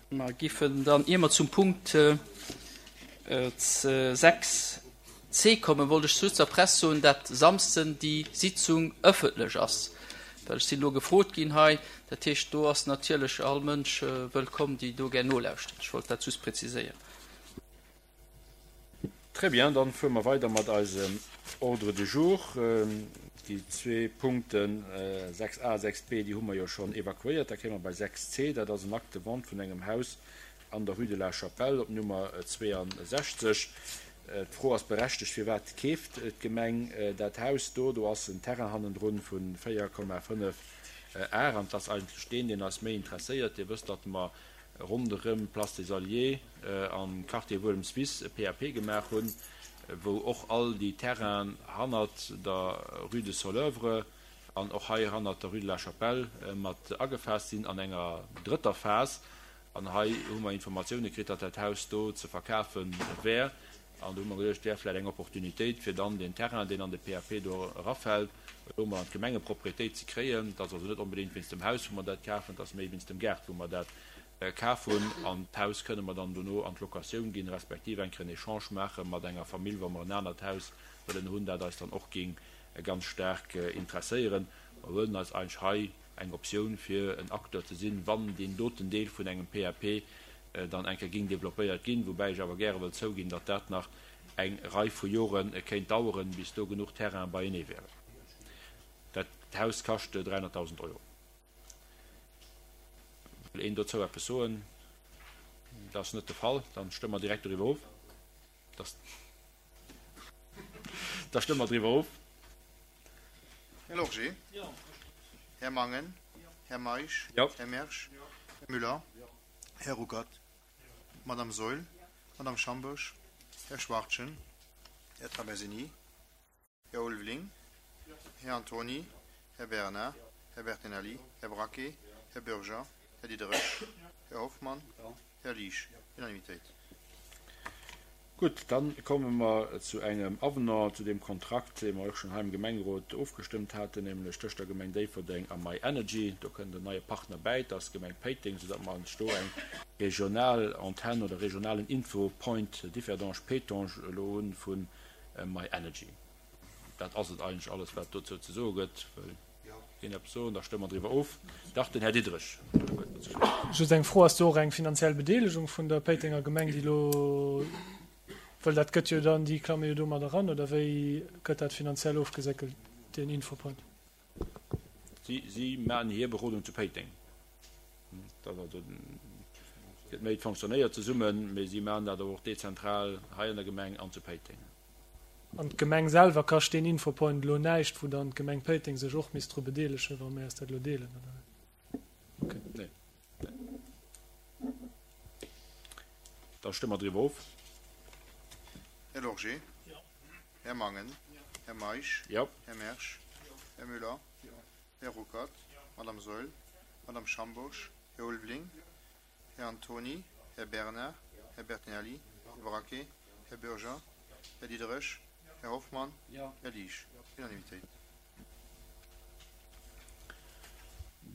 Mer giffen dann, ier mer zum Punkt 6 c kommen, wollt ech just der Press soen, dat Samsden déi Sitzung ëffentlech ass, well ech sinn elo gefrot ginn hei. Dat heescht, do ass natierlech all Mënsch wëllkomm, déi do gär nolauschtert. Ech wollt dat just präziséieren. Très bien, dann fuere mer weider mat eisem Ordre du jour. Déi zwee Punkten 6a a 6b, déi hu mer jo schonn evakuéiert. Da kéime mer bei 6c, dat ass en Acte de vente vun engem Haus an der Rue de la Chapelle op Nummer 62. D'Fro ass berechtegt, Firwat keeft d'Gemeng dat Haus do? Do ass en Terrain hannendrun vu 4,5 Ar an et ass eigentlech deen, deen eis méi interesséiert. Dir wësst, datt mer ronderëm Place des Alliés am Quartier Wuelmswiss e PAP gemaach hunn, wou och all déi Terrainen hannert der Rue de Soleuvre an och hei hannert der Rue de la Chapelle mat agefaasst sinn an enger drëtter Phas. An hei hu mer Informatioune kritt, datt dat Haus do ze verkafe wär. An do hu mer geduecht, et wär vläicht eng Opportunitéit, fir dann deen Terrain, deen an de PAP do erafält, elo emol an d'Gemengeproprietéit ze kréien. Et ass also net onbedéngt wéinst dem Haus, wou mer dat kafen, et ass méi wéinst dem Gaart, wou mer dat kaf hunn. An d'Haus kënne mer dann dono an d'Locatioun ginn, respektiv eng Kéier en Echange maache mat enger Famill, wa mer en anert Haus wëllen hunn, dat eis dann och géing ganz staark interesséieren. Mer huelen eis eigentlech hei eng Optioun, fir en Acteur ze sinn, wann deen doten Deel vun engem PAP dann eng Kéier géing développéiert ginn, woubäi ech awer gäre wëll zouginn, datt dat nach eng Rei vu Jore kéint daueren, bis do genuch Terrainen beienee wären. Dat Haus kascht 300.000 Euro. Wëll een dozou eppes soen? Dat ass net de Fall. Dann stëmme mer direkt doriwwer of. Da stëmme mer driwwer of. Här Lorgé. Här Mangen. Här Meisch. Här Mersch. Här Müller. Här Ruckert. Madame Saeul. Madame Schambourg. Här Schwachtgen. Här Traversini. Här Ulveling. Här Antony. Här Bernard. Här Bertinelli. Här Braquet. Här Bürger. Här Diderich. Här Hoffmann. Här Liesch. Unanimitéit. Gutt, da komme mer zu engem Avenant zu deem Kontrakt, dee mer och schonn hei am Gemengerot ofgestëmmt haten, nämlech tëscht der Gemeng Déifferdeng a My Energy. Do kënnt en neie Partner bäi, dat ass d'Gemeng Péiteng, soudatt mer eis do eng regional Antenn oder regionalen Infopoint Differdange-Pétange elo hu vu My Energy. Dat ass et eigentlech alles, wat dozou ze soe gëtt. Wëll een eppes soen? Da stëmme mer driwwer of. Dach, den Här Diderich huet dozou geschwat. Just eng Fro, Ass do och eng finanziell Bedeelegung vun der Péitenger Gemeng, déi elo, well dat gëtt jo dann, déi klamme jo do mat eran, oder wéi gëtt dat finanziell ofgeséckelt, deen Infopoint? Si, si maachen hir Berodung zu Péiteng. Dat ass also, gëtt méi, et fonctionnéiert zesummen, mee si maachen dat awer och dezentral hei an der Gemeng an zu Péiteng. An d'Gemeng selwer kascht deen Infopoint elo näischt, wou dann d'Gemeng Péiteng sech och misst dru bedeelegen, wa mir eis dat elo deelen, oder wéi? Okay. Nee. Nee. Da stëmme mer driwwer of. Här Lorgé. Här Mangen. Här Meisch. Här Mersch. Här Müller. Här Ruckert. Madame Saeul. Madame Schambourg. Här Ulveling. Här Antony, Här Bernard, Här Bertinelli, Här Braquet, Här Bürger, Här Diderich, Här Hoffmann, Här Liesch. Unanimitéit.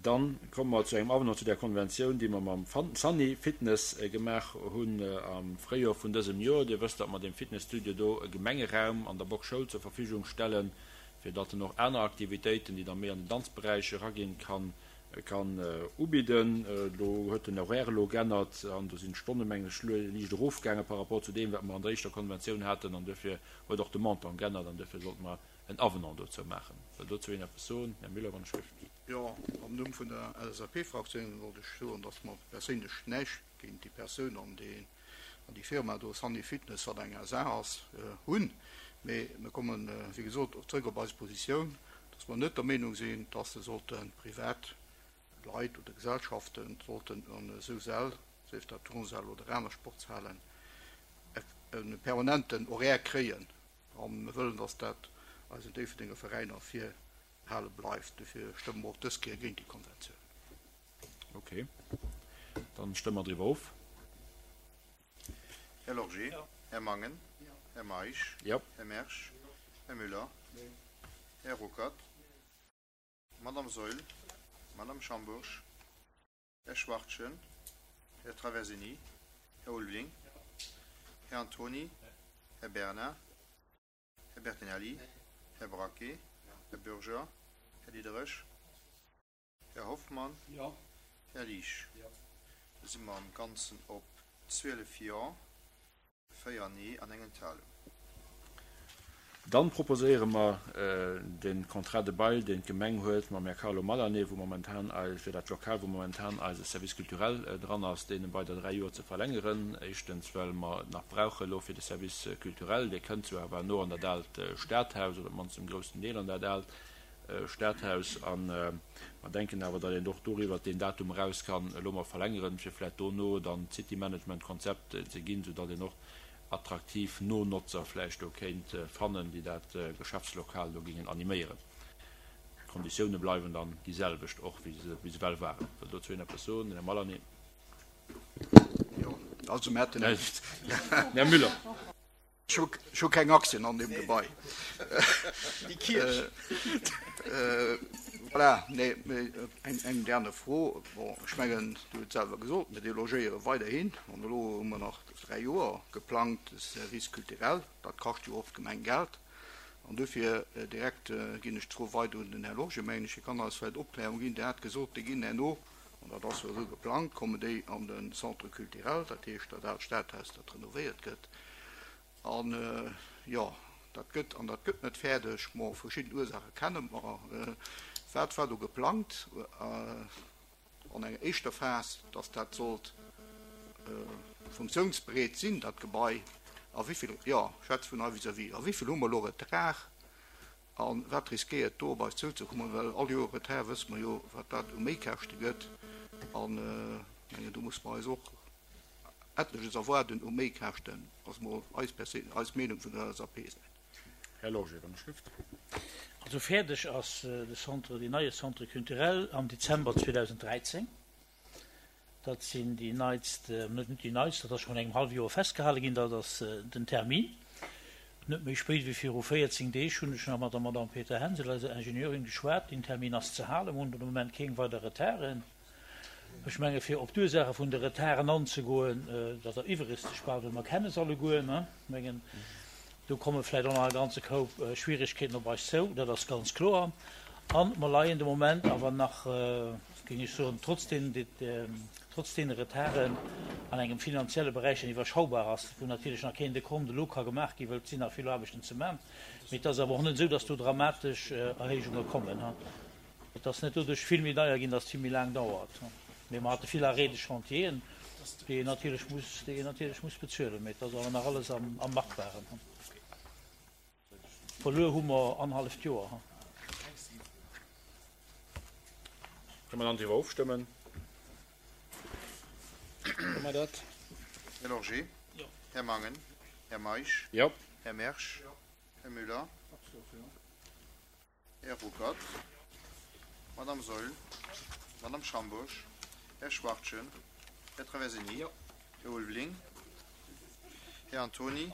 Dann komme mer zu engem Avenant zu där Konventioun, déi mer mam Sunny Fitness gemaach hunn am Fréijoer vun dësem Joer. Dir wësst, datt mer deem Fitnesstudio do e Gemengeraum an der Boxschoul zur Verfügung stellen, fir datt en och aner Aktivitéiten, déi da méi an den Danzberäich eraginn, kann kann ubidden. Do huet den Horaire elo g'ännert an do sinn d'Stonne mengen ech liicht erofgaange par rapport zu deem wat mer an der éischter Konventioun haten an duerfir huet och de Montant g'ännert an duerfir sollte mer en Avenant dozou maachen. Wëll dozou een eppes soen? Här Müller, wann ech gelift. Jo, am Numm vun der LSAP-Fraktioun wollt ech soen, dass mer perséinlech näischt géint déi Persoun an déi Firma do, Sunny Fitness, wat eng SA ass, hunn. Mee mir kommen, wéi gesot, zrëck op eis Positioun, dass mer net der Meenung sinn, dass se sollte privat Leit oder Gesellschaften sollten an esou Säll, sief dat Turnsäll oder aner Sportshalen, e permanenten Horaire kréien. A mir wëllen, dass dat eisen Déifferdenger Veräiner virbehale bleift. Dofir stëmme mer och dës Kéier géint déi Konventioun. Ok, dann stëmme mer driwwer of. Här Lorgé. Här Mangen. Här Meisch. Här Mersch. Här Müller. Här Ruckert. Madame Saeul. Madame Schambourg. Här Schwachtgen. Här Traversini. Här Ulveling. Här Antoni. Här Bernard. Här Bertinelli. Här Braquet. Här Bürger. Här Diderich. Här Hoffmann. Här Liesch. Da si mer am Ganzen op 12 Jo, 4 Nee an eng Enthalung. Dann proposéiere mer de Contrat de bail, deen d'Gemeng huet mam Här Carlo Malané, wou momentan eis, fir dat Lokal, wou momentan eise Service culturel dran ass, deen ëm weider 3 Joer ze verlängeren. Éischtens, well mer et nach brauche elo fir de Service culturel. Dee kënnt zwar awer elo an dat aalt Stadhaus, oder op d'mannst zum groussen Deel an dat aalt Stadhaus, a mer denken awer, datt een och doriwwer deen Datum eraus kann elo mol verlängeren, fir vläicht dono dann d'City-Management-Konzept ze ginn, soudatt een och attraktiv Nonotzer vläicht do kéint fannen, déi dat Geschäftslokal do géingen animéieren. D'Konditioune bleiwen dann déi selwecht och, wéi se bis ewell waren. Wëll dozou een eppes soen? Den Här Malany. Jo, also mir hätten. Här Müller. Ech hu keng Aktien an deem Gebai. Déi Kierch. Voilà, nee, mee eng aner Fro. Bon, ech mengen, Dir hutt et selwer gesot, mir delogéiere weiderhin. An elo hu mer nach 3 Joer geplangt, de Service culturel. Dat kascht jo och d'Gemeng Geld. An dofir direkt ginn ech d'Fro weider un den Här Lorge, mengen ech, hie kann eis vläicht Opklärung ginn. Dir hat gesot, déi ginn herno, an dat ass jo esou geplangt, kommen déi an de Centre culturel, dat heescht dat aalt Stadhaus, dat renovéiert gëtt. An, jo, dat gëtt, an dat gëtt net fäerdeg. Bon, verschidden Ursaache kenne mer. Wat war do geplangt an enger éischter Phas, dass dat sollt funktionsbereet sinn, dat Gebai? A wéi vill, jo, ech schwätze vun hei vis-à-vis, a wéi vill hu mer elo Retard? A wat riskéiert do op eis zouzekommen? Well all Joer Retard wësse mer jo, wat dat u Méikäschte gëtt. An ech mengen, do musse mer eis och etleches erwaarden u Méikäschten, ass mol eis perséinlech, eis Meenung vun der LSAP-Säit. Här Lorge, wann ech schrift. Also fäerdeg ass de Centre, deen neie Centre culturel am Dezember 2013. Dat sinn déi neitst, net déi neitst, dat ass scho vun engem hallwe Joer festgehale ginn, dat ass den Termin. Net méi spéit wéi viru 14 Deeg hunn ech nach mat der Madame Peter Hensel, eiser Ingenieurin, geschwat. Deen Termin ass ze halen. Mer hunn de Moment keng weider Retarden. Ech menge fir op d'Ursaache vun de Retarden anzegoen, dat eriwweregt sech bal, well mer kenne se alleguer. Ech mengen, do komme vläicht och nach e ganze Koup Schwierigkeeten op eis zou, dat ass ganz kloer. A mer leien de Moment awer nach, géing ech soen, trotz deenen, trotz deene Retarden an engem finanzielle Beräich, deen iwwerschaubar ass, wou natierlech nach keen Dekont elo ka gemaach ginn, well et sinn nach vill Aarbechten ze man. Mee et ass awer och net esou, dass do dramatesch Erhéijunge kommen. Et ass net doduerch vill méi deier ginn, datt et vill méi laang dauert. Mee mer hate vill Arrêts de chantieren, déi een natierlech muss, déi een natierlech muss bezuelen. Mee et ass awer nach alles am, am Machbaren. Verluer hu mer annerhalleft Joer. Kënne mer dann driwwer ofstëmmen? Kënne mer dat? Här Lorgé? Här Mangen? Här Meisch? Jo. Här Mersch? Här Müller? Här Ruckert, Madame Saeul, Madame Schambourg, Här Schwachtgen, Här Traversini, Här Ulveling, Här Antoni,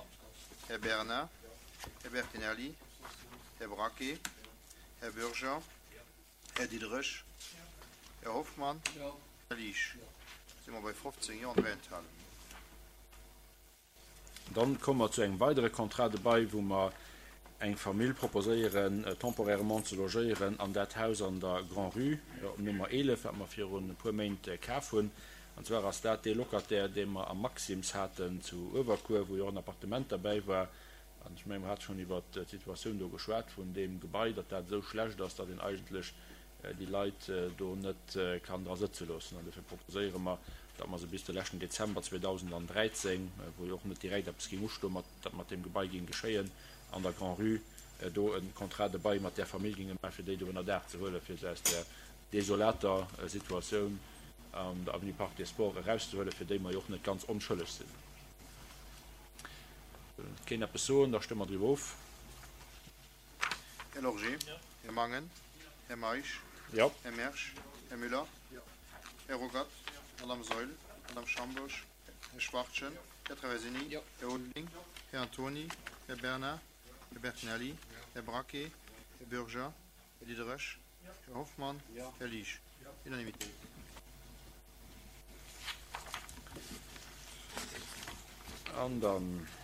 Här Bernard, Här Bertinelli, Här Braquet, Här Bürger, Här Diderich, Här Hoffmann, Här Liesch. Si mer bei 15 Jo an 3 Enthalungen. Dann komme mer zu engem weidere Contrat de bail, wou mer eng Famill proposéieren, temporairement ze logéieren an dat Haus an der Grand-Rue op Nummer 11, wat mer virun e puer Méint kaf hunn. An zwar ass dat dee Locataire, dee mer am Maxim's haten zu Uewerkuer, wou jo och en Appartement derbäi war. An ech mengen, mer hate schonn iwwert d'Situatioun do geschwat vun deem Gebai, datt dat esou schlecht ass, datt een eigentlech déi Leit do net kann dra sëtze loossen. An dofir proposéiere mer, datt mer se bis de leschten Dezember 2013, wou jo och net direkt eppes géing ustoen, mat, datt mat deem Gebai géing geschéien, an der Grand-Rue do e Contrat de bail mat där Famill géinge maachen, fir déi do ënner Daach ze huelen, fir se aus där desolater Situatioun an der Avenue Parc des Sports erauszehuelen, fir déi mer jo och net ganz onschëlleg sinn. Wëll keen eppes soen, da stëmme mer driwwer of. Här Lorgé, Här Mangen, Här Meisch, Här Mersch, Här Müller, Här Ruckert, Madame Saeul, Madame Schambourg, Här Schwachtgen, Här Traversini, Här Ulveling, Här Antoni, Här Bernard, Här Bertinelli, Här Braquet, Här Bürger, Här Diderich, Här Hoffmann, Här Liesch. Unanimité. An dann.